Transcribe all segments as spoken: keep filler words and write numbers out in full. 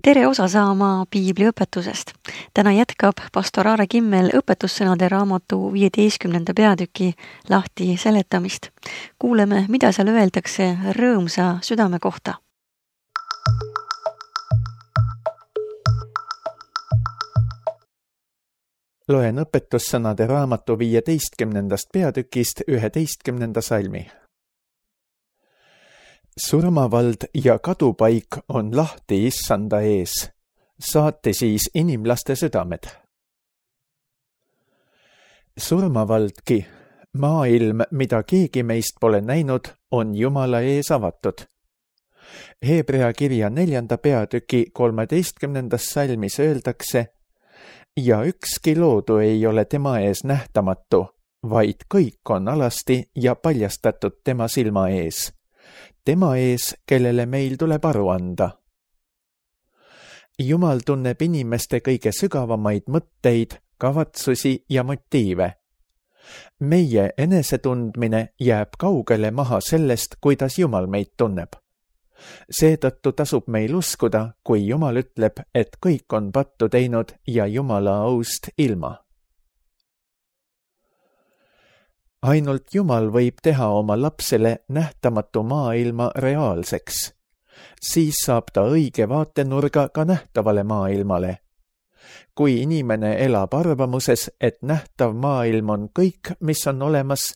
Tere osa saama piibli õpetusest. Täna jätkab pastor Aare Kimmel õpetussõnade raamatu viieteistkümnenda peatüki lahti seletamist. Kuuleme, mida seal öeldakse rõõmsa südame kohta. Loen õpetussõnade raamatu viieteistkümnendast peatükist üheteistkümnenda salmi. Surmavald ja kadupaik on lahti issanda ees. Saate siis inimlaste südamed. Surmavaldki, maailm, mida keegi meist pole näinud, on Jumala ees avatud. Hebrea kirja neljanda peatüki kolmeteistkümnendas salmis öeldakse, ja ükski loodu ei ole tema ees nähtamatu, vaid kõik on alasti ja paljastatud tema silma ees. Tema ees, kellele meil tuleb aru anda. Jumal tunneb inimeste kõige sügavamaid mõtteid, kavatsusi ja motiive. Meie enesetundmine jääb kaugele maha sellest, kuidas Jumal meid tunneb. Seetõttu tasub meil uskuda, kui Jumal ütleb, et kõik on pattu teinud ja Jumala aust ilma. Ainult Jumal võib teha oma lapsele nähtamatu maailma reaalseks. Siis saab ta õige vaatenurga ka nähtavale maailmale. Kui inimene elab arvamuses, et nähtav maailm on kõik, mis on olemas,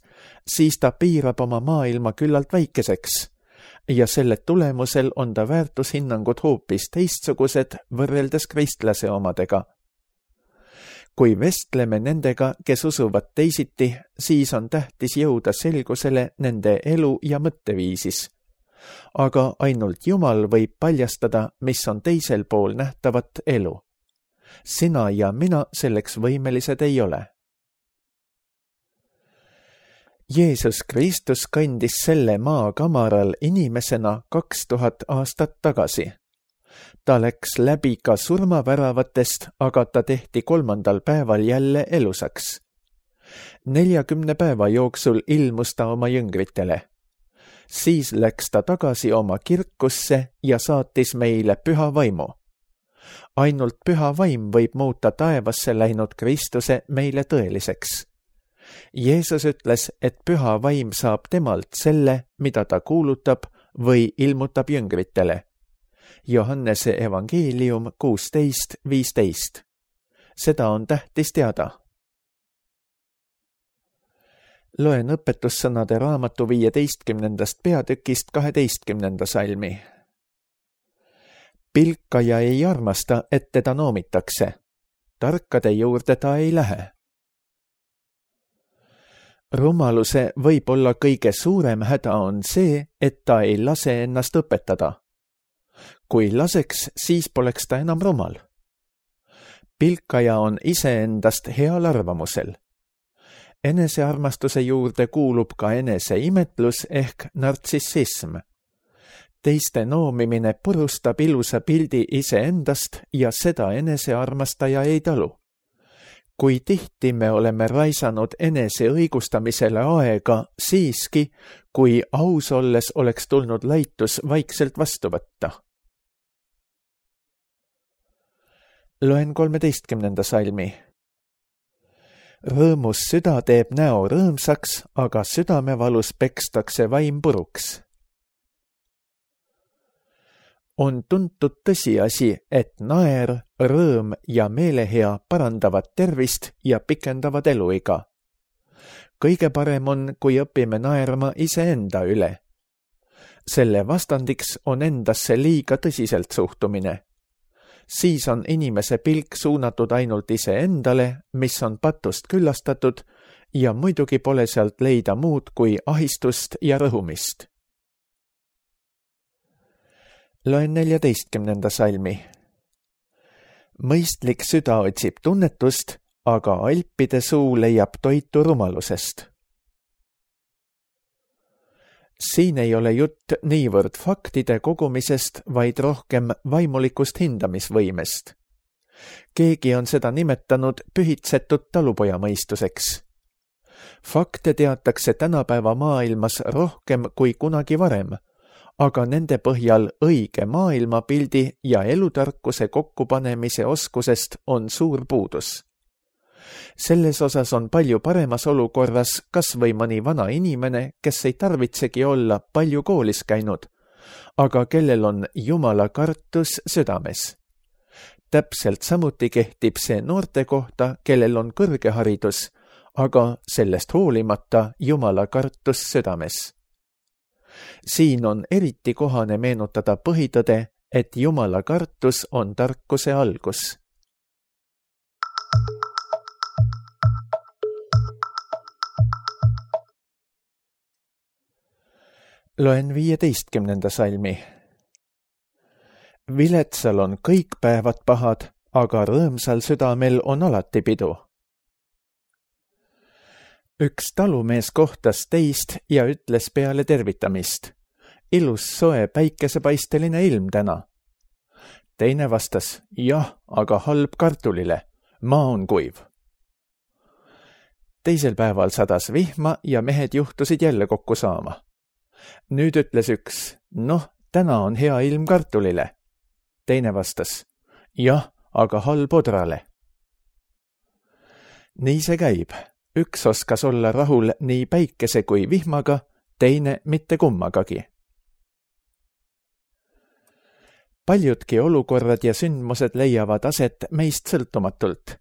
siis ta piirab oma maailma küllalt väikeseks ja selle tulemusel on ta väärtushinnangud hoopis teistsugused võrreldes kristlase omadega. Kui vestleme nendega, kes usuvad teisiti, siis on tähtis jõuda selgusele nende elu ja mõtteviisis. Aga ainult Jumal võib paljastada, mis on teisel pool nähtavat elu. Sina ja mina selleks võimelised ei ole. Jeesus Kristus kandis selle maa kamaral inimesena kaks tuhat aastat tagasi. Ta läks läbi ka surmaväravatest, aga ta tehti kolmandal päeval jälle elusaks. Neljakümne päeva jooksul ilmus ta oma jüngritele. Siis läks ta tagasi oma kirkusse ja saatis meile püha vaimu. Ainult püha vaim võib muuta taevasse läinud Kristuse meile tõeliseks. Jeesus ütles, et püha vaim saab temalt selle, mida ta kuulutab või ilmutab jüngritele. Johannese evangeelium kuusteist viisteist. Seda on tähtis teada. Loen õpetussõnade raamatu viieteistkümnendast peatükist kaheteistkümnenda salmi. Pilkaja ei armasta, et teda noomitakse. Tarkade juurde ta ei lähe. Rumaluse võib olla kõige suurem häda on see, et ta ei lase ennast õpetada. Kui laseks, siis poleks ta enam rumal. Pilkaja on iseendast heal arvamusel. Enesearmastuse juurde kuulub ka eneseimetlus ehk nartsissism. Teiste noomimine purustab ilusa pildi iseendast ja seda enesearmastaja ei talu. Kui tihti me oleme raisanud enese õigustamisele aega siiski, kui aus olles oleks tulnud laitus vaikselt vastu võtta. Loen kolmeteistkümnenda salmi. Rõõmus süda teeb näo rõõmsaks, aga südamevalus pekstakse vaim puruks. On tuntud tõsiasi, et naer, rõõm ja meelehea parandavad tervist ja pikendavad eluiga. Kõige parem on, kui õpime naerma iseenda üle. Selle vastandiks on endasse liiga tõsiselt suhtumine. Siis on inimese pilk suunatud ainult iseendale, mis on patust küllastatud ja muidugi pole sealt leida muud kui ahistust ja rõhumist. Loen neljateistkümnenda salmi. Mõistlik süda otsib tunnetust, aga alpide suu leiab toitu rumalusest. Siin ei ole jutt niivõrd faktide kogumisest, vaid rohkem vaimulikust hindamisvõimest. Keegi on seda nimetanud pühitsetud talupojamõistuseks. Fakte teatakse tänapäeva maailmas rohkem kui kunagi varem, aga nende põhjal õige maailmapildi ja elutarkuse kokkupanemise oskusest on suur puudus. Selles osas on palju paremas olukorras kas või mõni vana inimene, kes ei tarvitsegi olla palju koolis käinud, aga kellel on Jumala kartus südames. Täpselt samuti kehtib see noorte kohta, kellel on kõrge haridus, aga sellest hoolimata Jumala kartus südames. Siin on eriti kohane meenutada põhitõde, et Jumala kartus on tarkuse algus. Loen viieteistkümnenda salmi. Viletsal on kõik päevad pahad, aga rõõmsal südamel on alati pidu. Üks talumees kohtas teist ja ütles peale tervitamist. Ilus soe päikesepaisteline ilm täna. Teine vastas, jah, aga halb kartulile. Maa on kuiv. Teisel päeval sadas vihma ja mehed juhtusid jälle kokku saama. Nüüd ütles üks, noh, täna on hea ilm kartulile. Teine vastas, jah, aga halb odrale. Nii see käib. Üks oskas olla rahul nii päikese kui vihmaga, teine mitte kummagagi. Paljudki olukorrad ja sündmused leiavad aset meist sõltumatult.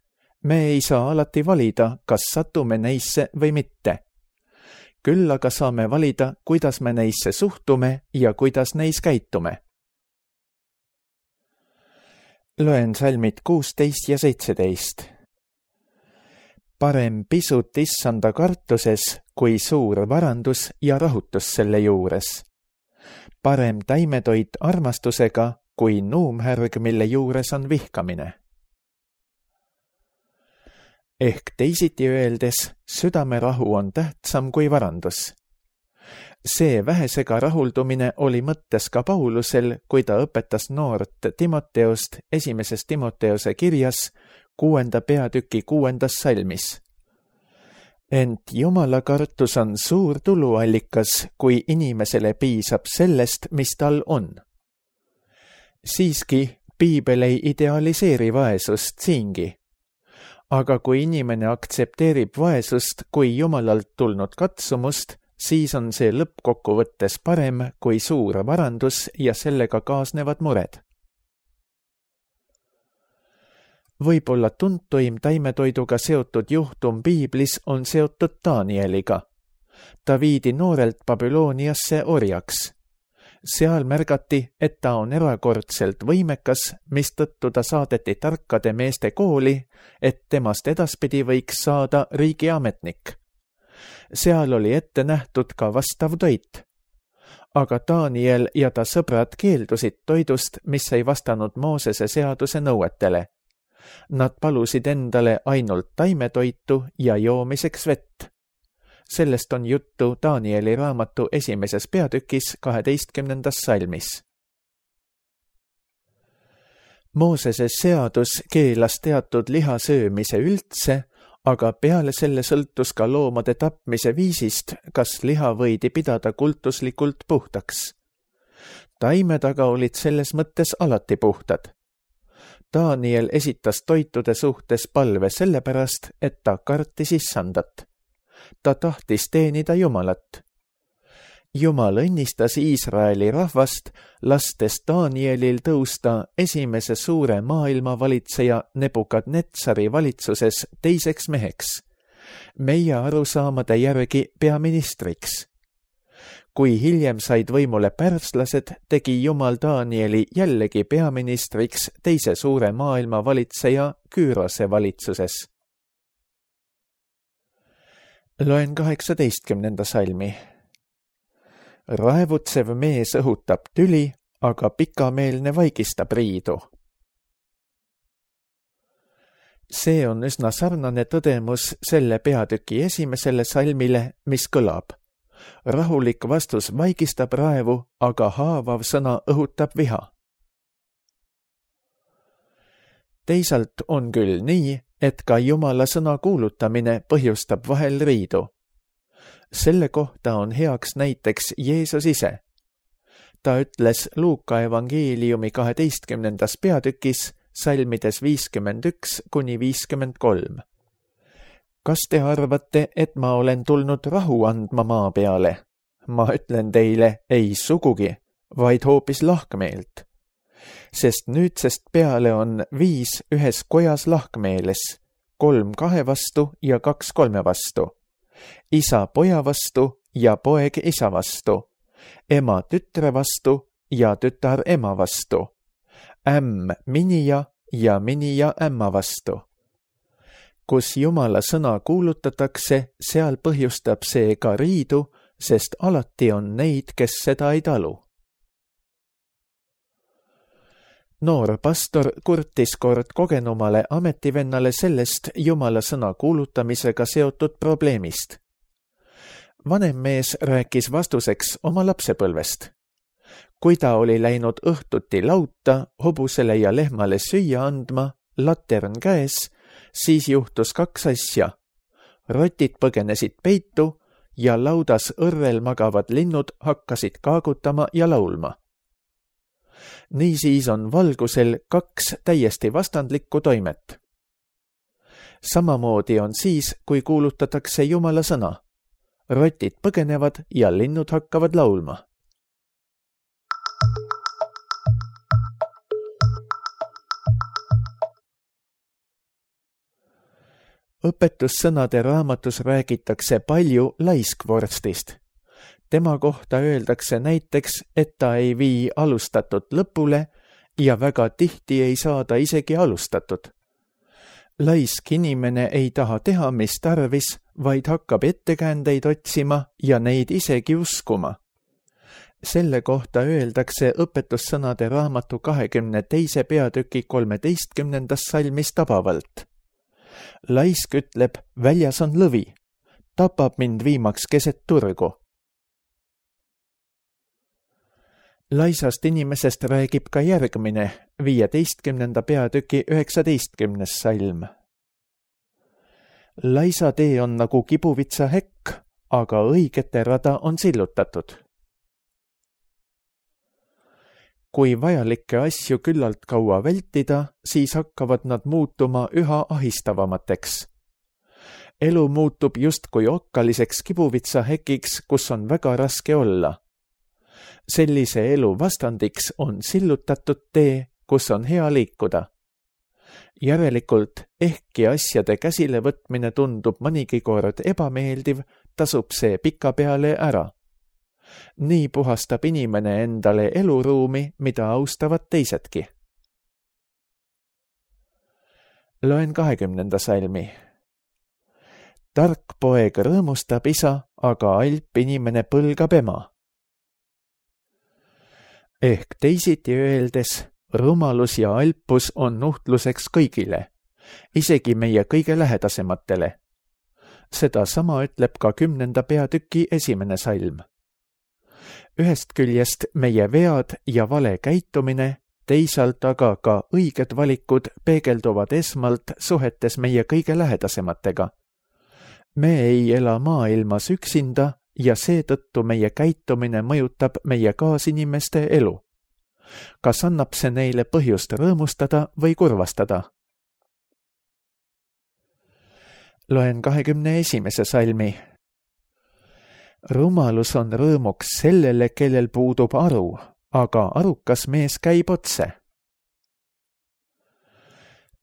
Me ei saa alati valida, kas satume neisse või mitte. Küll aga saame valida, kuidas me neisse suhtume ja kuidas neis käitume. Loen salmid kuusteist ja seitseteist. Parem pisut issanda kartuses, kui suur varandus ja rahutus selle juures. Parem taimetoit armastusega, kui nuumhärg, mille juures on vihkamine. Ehk teisiti öeldes, südamerahu on tähtsam kui varandus. See vähesega rahuldumine oli mõttes ka Paulusel, kui ta õpetas noort Timoteost esimeses Timoteose kirjas kuuenda peatüki kuuendas salmis. Ent Jumala kartus on suur tuluallikas, kui inimesele piisab sellest, mis tal on. Siiski, piibel ei idealiseeri vaesust siingi. Aga kui inimene aktsepteerib vaesust kui Jumalalt tulnud katsumust, siis on see lõppkokkuvõttes parem kui suur varandus ja sellega kaasnevad mured. Võib-olla tuntuim taimetoiduga seotud juhtum piiblis on seotud Danieliga. Ta viidi noorelt Babyloniasse orjaks. Seal märgati, et ta on erakordselt võimekas, mistõttu ta saadeti tarkade meeste kooli, et temast edaspidi võiks saada riigiametnik. Seal oli ette nähtud ka vastav toit. Aga Daniel ja ta sõbrad keeldusid toidust, mis ei vastanud Moosese seaduse nõuetele. Nad palusid endale ainult taimetoitu ja joomiseks vett. Sellest on juttu Danieli raamatu esimeses peatükis kaheteistkümnendas salmis. Moosese seadus keelas teatud liha söömise üldse, aga peale selle sõltus ka loomade tapmise viisist, kas liha võidi pidada kultuslikult puhtaks. Taimed aga olid selles mõttes alati puhtad. Daniel esitas toitude suhtes palve sellepärast, et ta kartis issandat. Ta tahtis teenida Jumalat. Jumal õnnistas Iisraeli rahvast, lastes Danielil tõusta esimese suure maailmavalitseja Nebukadnetsari valitsuses teiseks meheks, meie arusaamade järgi peaministriks. Kui hiljem said võimule pärslased, tegi Jumal Danieli jällegi peaministriks teise suure maailmavalitseja Küürose valitsuses. Loen kaheksateistkümnenda salmi. Raevutsev mees õhutab tüli, aga pikameelne vaigistab riidu. See on üsna sarnane tõdemus selle peatüki esimesele salmile, mis kõlab. Rahulik vastus vaigistab raevu, aga haavav sõna õhutab viha. Teisalt on küll nii, et ka Jumala sõna kuulutamine põhjustab vahel riidu. Selle kohta on heaks näiteks Jeesus ise. ta ütles Luuka evangeeliumi kaheteistkümnendas peatükis salmides viiskümmend üks kuni viiskümmend kolm. Kas te arvate, et ma olen tulnud rahu andma maa peale? Ma ütlen teile, ei sugugi, vaid hoopis lahkmeelt. Sest nüüdsest peale on viis ühes kojas lahkmeeles, kolm kahe vastu ja kaks kolme vastu, isa poja vastu ja poeg isa vastu, ema tütre vastu ja tütar ema vastu, ämm minija ja minija ämma vastu. Kus Jumala sõna kuulutatakse, seal põhjustab see ka riidu, sest alati on neid, kes seda ei talu. Noor pastor kurtis kord kogenumale ametivennale sellest Jumala sõna kuulutamisega seotud probleemist. Vanem mees rääkis vastuseks oma lapsepõlvest. Kui ta oli läinud õhtuti lauta, hobusele ja lehmale süüa andma, latern käes, siis juhtus kaks asja. Rotid põgenesid peitu ja laudas õrrel magavad linnud hakkasid kaagutama ja laulma. Niisiis on valgusel kaks täiesti vastandlikku toimet. Samamoodi on siis, kui kuulutatakse Jumala sõna. Rotid põgenevad ja linnud hakkavad laulma. Õpetussõnade raamatus räägitakse palju laiskvorstist. Tema kohta öeldakse näiteks, et ta ei vii alustatud lõpule ja väga tihti ei saada isegi alustatud. Laisk inimene ei taha teha, mis tarvis, vaid hakkab ettekäändeid otsima ja neid isegi uskuma. Selle kohta öeldakse õpetussõnade raamatu kahekümne teise peatüki kolmeteistkümnendas salmis tabavalt. Laisk ütleb, väljas on lõvi, tapab mind viimaks keset turgu. Laisast inimesest räägib ka järgmine, viieteistkümnenda peatüki üheksateistkümnes salm. Laisa tee on nagu kibuvitsa hekk, aga õigete rada on sillutatud. Kui vajalikke asju küllalt kaua vältida, siis hakkavad nad muutuma üha ahistavamateks. Elu muutub justkui okkaliseks kibuvitsa hekiks, kus on väga raske olla. Sellise elu vastandiks on sillutatud tee, kus on hea liikuda. Järelikult, ehkki asjade käsile võtmine tundub mõnigi kord ebameeldiv, tasub see pikapeale ära. Nii puhastab inimene endale eluruumi, mida austavad teisedki. Loen kahekümnenda salmi. Tark poeg rõõmustab isa, aga alp inimene põlgab ema. Ehk teisiti öeldes, rumalus ja alpus on nuhtluseks kõigile, isegi meie kõige lähedasematele. Seda sama ütleb ka kümnenda peatüki esimene salm. Ühest küljest meie vead ja vale käitumine, teisalt aga ka õiged valikud peegelduvad esmalt suhetes meie kõige lähedasematega. Me ei ela maailmas üksinda ja seetõttu meie käitumine mõjutab meie kaasinimeste elu. Kas annab see neile põhjust rõõmustada või kurvastada? Loen kahekümne esimese salmi. Rumalus on rõõmuks sellele, kellel puudub aru, aga arukas mees käib otse.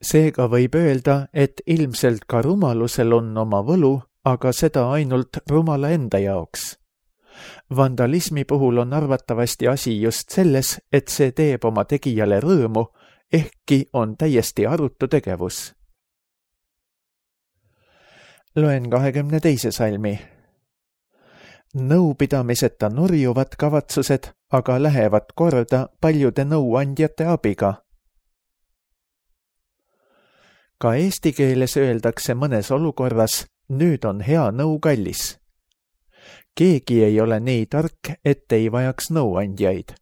Seega võib öelda, et ilmselt ka rumalusel on oma võlu, aga seda ainult rumala enda jaoks. Vandalismi puhul on arvatavasti asi just selles, et see teeb oma tegijale rõõmu, ehkki on täiesti arutu tegevus. Loen kahekümne teise salmi. Nõupidamiseta nurjuvad kavatsused, aga lähevad korda paljude nõuandjate abiga. Ka eesti keeles öeldakse mõnes olukorras, nüüd on hea nõu kallis. Keegi ei ole nii tark, et ei vajaks nõuandjaid.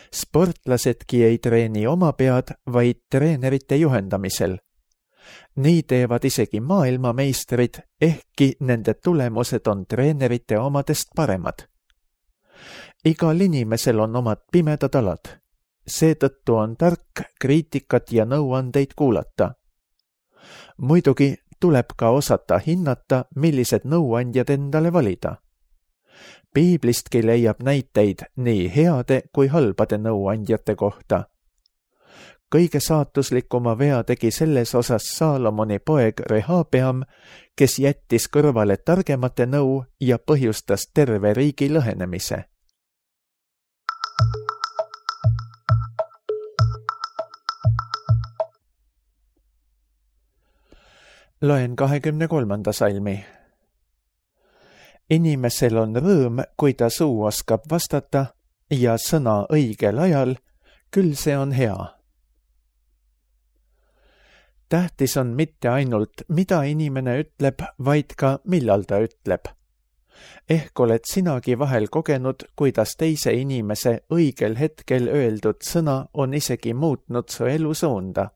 Sportlasedki ei treeni oma pead, vaid treenerite juhendamisel. Nii teevad isegi maailmameistrid, ehkki nende tulemused on treenerite omadest paremad. igal inimesel on omad pimedad alad. Seetõttu on tark kriitikat ja nõuandeid kuulata. Muidugi tuleb ka osata hinnata, millised nõuandjad endale valida. Piiblistki leiab näiteid nii heade kui halbade nõuandjate kohta. Kõige saatuslikuma vea tegi selles osas Saalomoni poeg Rehabeam, kes jättis kõrvale targemate nõu ja põhjustas terve riigi lõhenemise. Loen kahekümne kolmanda salmi. Inimesel on rõõm, kui ta suu oskab vastata ja sõna õigel ajal, küll see on hea. Tähtis on mitte ainult, mida inimene ütleb, vaid ka millal ta ütleb. Ehk oled sinagi vahel kogenud, kuidas teise inimese õigel hetkel öeldud sõna on isegi muutnud su elu suunda.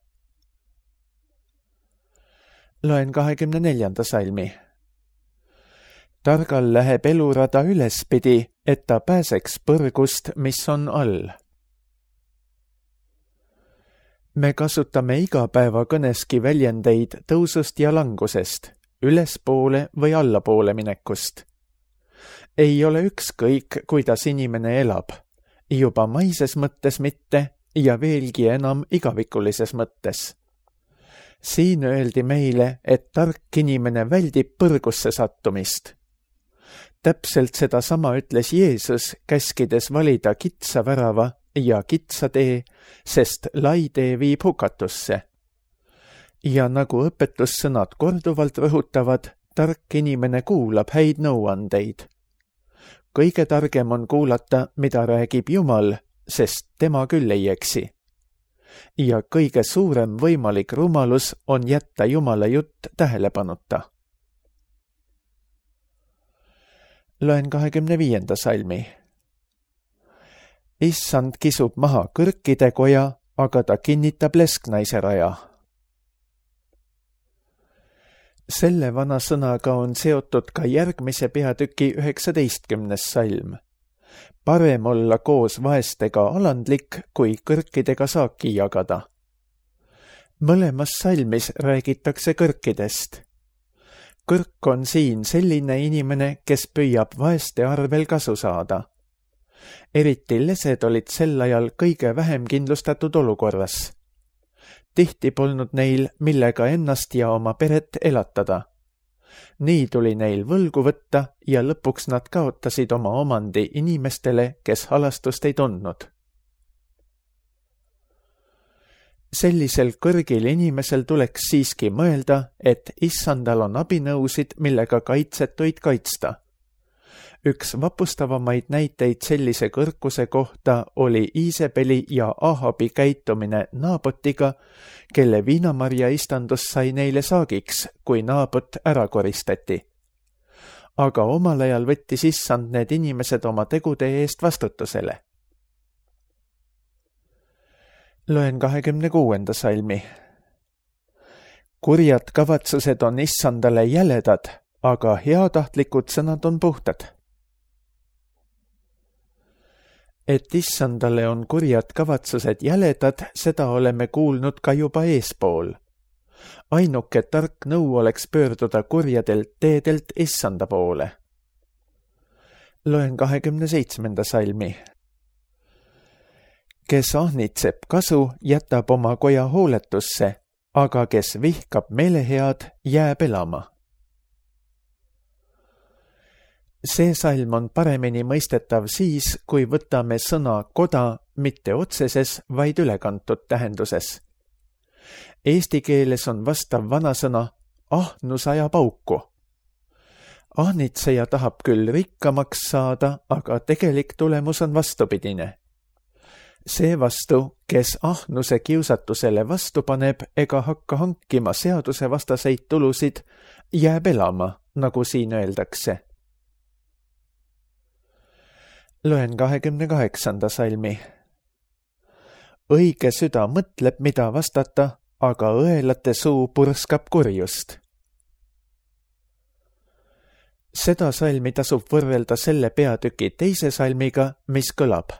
Loen kahekümne neljanda salmi. Targal läheb elurada ülespidi, et ta pääseks põrgust, mis on all. Me kasutame igapäeva kõneski väljendeid tõusust ja langusest, ülespoole või allapoole minekust. Ei ole ükskõik, kuidas inimene elab, juba maises mõttes mitte ja veelgi enam igavikulises mõttes. Siin öeldi meile, et tark inimene väldib põrgusse sattumist. Täpselt seda sama ütles Jeesus, käskides valida kitsa värava ja kitsa tee, sest lai tee viib hukatusse. Ja nagu õpetussõnad korduvalt rõhutavad, tark inimene kuulab häid nõuandeid. Kõige targem on kuulata, mida räägib Jumal, sest tema küll ei eksi. Ja kõige suurem võimalik rumalus on jätta Jumala jutt tähelepanuta. Loen kahekümne viienda salmi. Issand kisub maha kõrkide koja, aga ta kinnitab lesknaise raja. Selle vana sõnaga on seotud ka järgmise peatüki üheksateistkümnes salm. Parem olla koos vaestega alandlik, kui kõrkidega saaki jagada. Mõlemas salmis räägitakse kõrkidest. Kõrk on siin selline inimene, kes püüab vaeste arvel kasu saada. Eriti lesed olid sel ajal kõige vähem kindlustatud olukorras. Tihti polnud neil, millega ennast ja oma peret elatada. Nii tuli neil võlgu võtta ja lõpuks nad kaotasid oma omandi inimestele, kes halastust ei tundnud. Sellisel kõrgil inimesel tuleks siiski mõelda, et issandal on abinõusid, millega kaitsetuid kaitsta. Üks vapustavamaid näiteid sellise kõrkuse kohta oli Iisebeli ja Ahabi käitumine Naabotiga, kelle viinamarja istandus sai neile saagiks, kui Naabot ära koristati. Aga omal ajal võttis issand need inimesed oma tegude eest vastutusele. Loen kahekümne kuuenda salmi. Kurjad kavatsused on issandale jäledad, aga heatahtlikud sõnad on puhtad. Et issandale on kurjad kavatsused jäledad, seda oleme kuulnud ka juba eespool. Ainuke tark nõu oleks pöörduda kurjadelt teedelt issanda poole. Loen kahekümne seitsmenda salmi. Kes ahnitseb kasu, jätab oma koja hooletusse, aga kes vihkab meelehead, jääb elama. See salm on paremini mõistetav siis, kui võtame sõna koda mitte otseses, vaid ülekantud tähenduses. Eesti keeles on vastav vanasõna ahnus ajab auku. Ahnitseja tahab küll rikkamaks saada, aga tegelik tulemus on vastupidine. Seevastu, kes ahnuse kiusatusele vastu paneb ega hakka hankima seadusevastaseid tulusid, jääb elama, nagu siin öeldakse. Loen kahekümne kaheksanda salmi. Õige süda mõtleb, mida vastata, aga õelate suu purskab kurjust. Seda salmi tasub võrrelda selle peatüki teise salmiga, mis kõlab.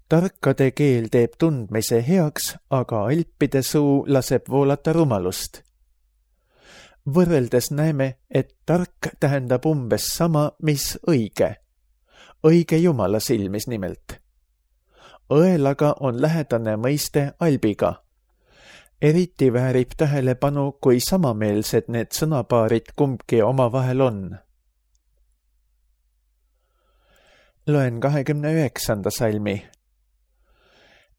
Tarkade keel teeb tundmise heaks, aga alpide suu laseb voolata rumalust. Võrreldes näeme, et tark tähendab umbes sama, mis õige. Õige Jumala silmis nimelt. Õelaga on lähedane mõiste albiga. Eriti väärib tähelepanu, kui samameelsed need sõnapaarid kumbki omavahel on. Loen kahekümne üheksanda salmi.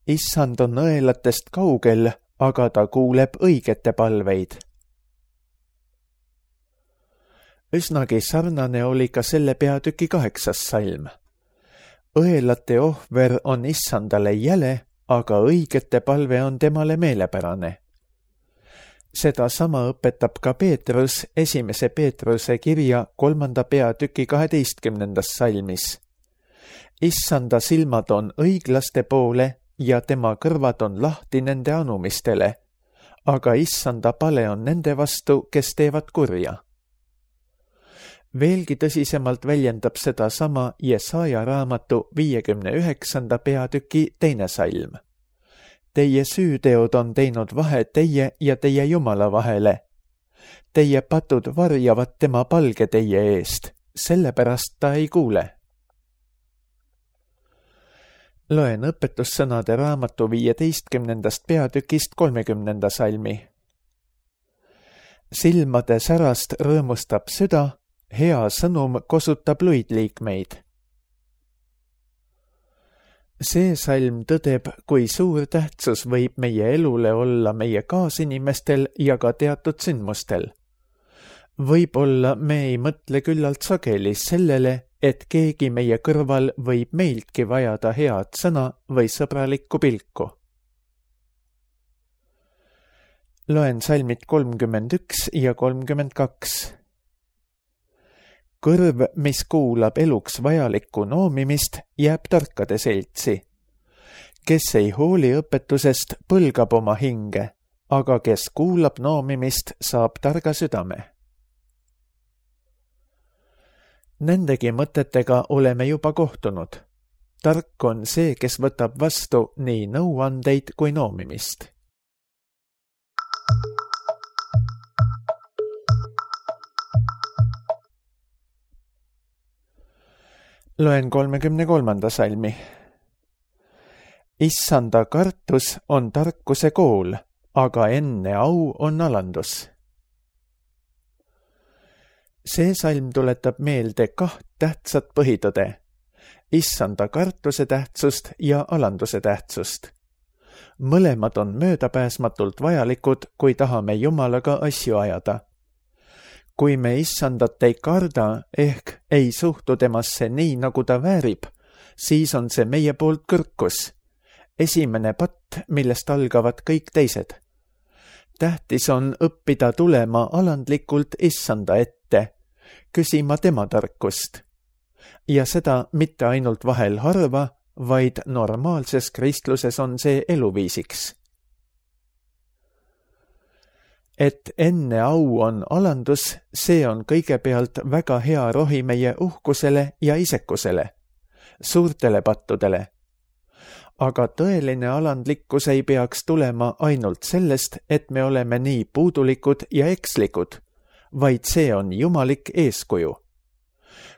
Issand on õelatest kaugel, aga ta kuuleb õigete palveid. Üsnagi sarnane oli ka selle peatüki kaheksas salm. Õelate ohver on issandale jäle, aga õigete palve on temale meelepärane. Seda sama õpetab ka Peetrus esimese Peetruse kirja kolmanda peatüki kaheteistkümnendas salmis. Issanda silmad on õiglaste poole ja tema kõrvad on lahti nende anumistele, aga issanda pale on nende vastu, kes teevad kurja. Veelgi tõsisemalt väljendab seda sama Jesaja raamatu viiekümne üheksanda peatüki teine salm. Teie süüteod on teinud vahe teie ja teie Jumala vahele. Teie patud varjavad tema palge teie eest, sellepärast ta ei kuule. Loen õpetussõnade raamatu viieteistkümnendast peatükist kolmekümnenda salmi. Silmade särast rõõmustab süda, hea sõnum kosutab luidliikmeid. See salm tõdeb, kui suur tähtsus võib meie elule olla meie kaasinimestel ja ka teatud sündmustel. Võib-olla me ei mõtle küllalt sageli sellele, et keegi meie kõrval võib meiltki vajada head sõna või sõbralikku pilku. Loen salmid kolmkümmend üks ja kolmkümmend kaks. Kõrv, mis kuulab eluks vajalikku noomimist, jääb tarkade seltsi. Kes ei hooli õpetusest, põlgab oma hinge, aga kes kuulab noomimist, saab targa südame. Nendegi mõtetega oleme juba kohtunud. Tark on see, kes võtab vastu nii nõuandeid kui noomimist. Loen kolmekümne kolmanda salmi. Issanda kartus on tarkuse kool, aga enne au on alandus. See salm tuletab meelde kaht tähtsat põhitõde, issanda kartuse tähtsust ja alanduse tähtsust. Mõlemad on möödapääsmatult vajalikud, kui tahame Jumalaga asju ajada. Kui me issandat ei karda ehk ei suhtu temasse nii, nagu ta väärib, siis on see meie poolt kõrkus. Esimene patt, millest algavad kõik teised. Tähtis on õppida tulema alandlikult issanda ette, küsima tema tarkust. Ja seda mitte ainult vahel harva, vaid normaalses kristluses on see eluviisiks. Et enne au on alandus, see on kõigepealt väga hea rohi meie uhkusele ja isekusele, suurtele pattudele. Aga tõeline alandlikkus ei peaks tulema ainult sellest, et me oleme nii puudulikud ja ekslikud, vaid see on jumalik eeskuju.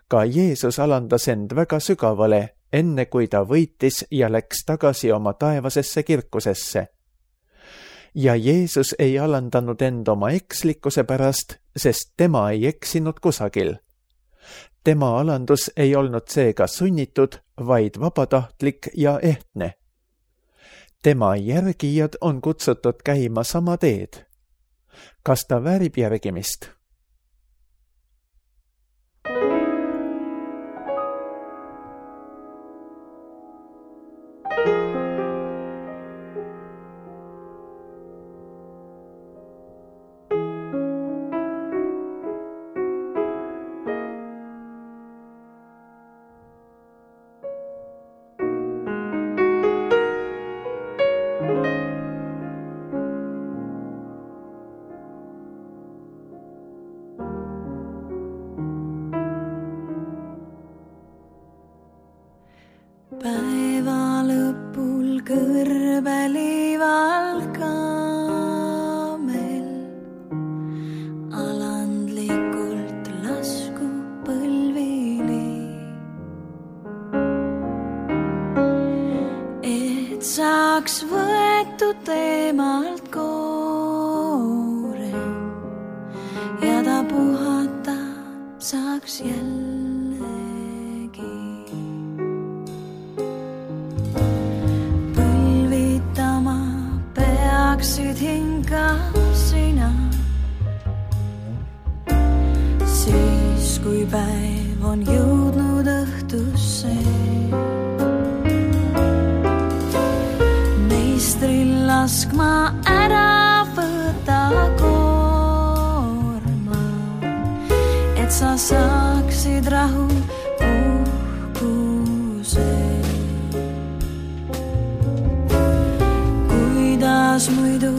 Ka Jeesus alandas end väga sügavale, enne kui ta võitis ja läks tagasi oma taevasesse kirkusesse. Ja Jeesus ei alandanud end oma ekslikkuse pärast, sest tema ei eksinud kusagil. Tema alandus ei olnud seega sunnitud, vaid vabatahtlik ja ehtne. Tema järgijad on kutsutud käima sama teed. Kas ta väärib järgimist? teemalt koore ja ta puhata saaks jällegi. Põlvitama peaksid hinga sina, siis kui päev on jõudnud õhtusse. Meistril laskma ära võta koorma, et sa saaksid rahu uhkuse. Kuidas muidu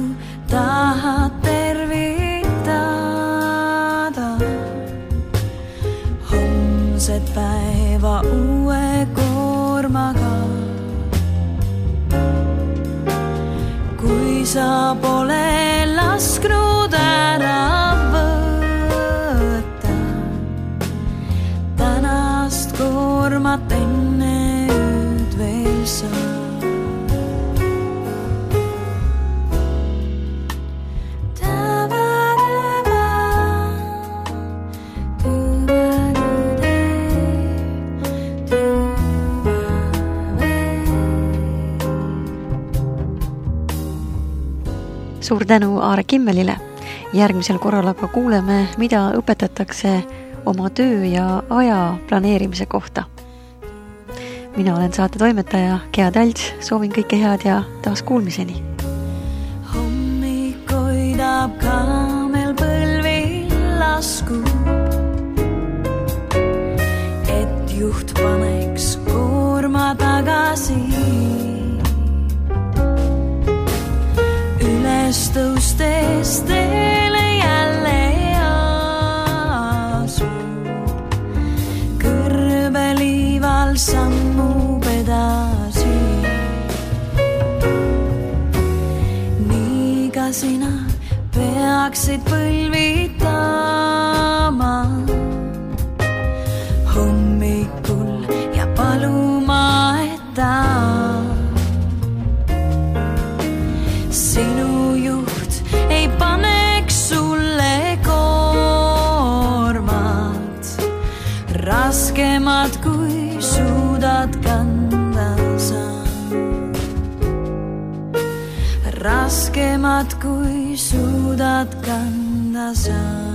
tahad tervitada homset päeva uue koormaga, kui sa pole lasknud ära võtta tänast koormat enne ööd veel sa. Suur tänu Aare Kimmelile. Järgmisel korral aga kuuleme, mida õpetatakse oma töö ja aja planeerimise kohta. Mina olen saate toimetaja Gea Talts, soovin kõike head ja taas kuulmiseni. Hommik hoidab kaamel põlvil laskub, et juht paneks koorma tagasi. Üles tõustes teele jälle asub, kõrbeliival sammub edasi. Nii ka sina peaksid põlvitama hommikul ja paluma, et ta sinu ei paneks sulle koormat, raskemat kui suudad kanda sa. Raskemat kui suudad kanda sa.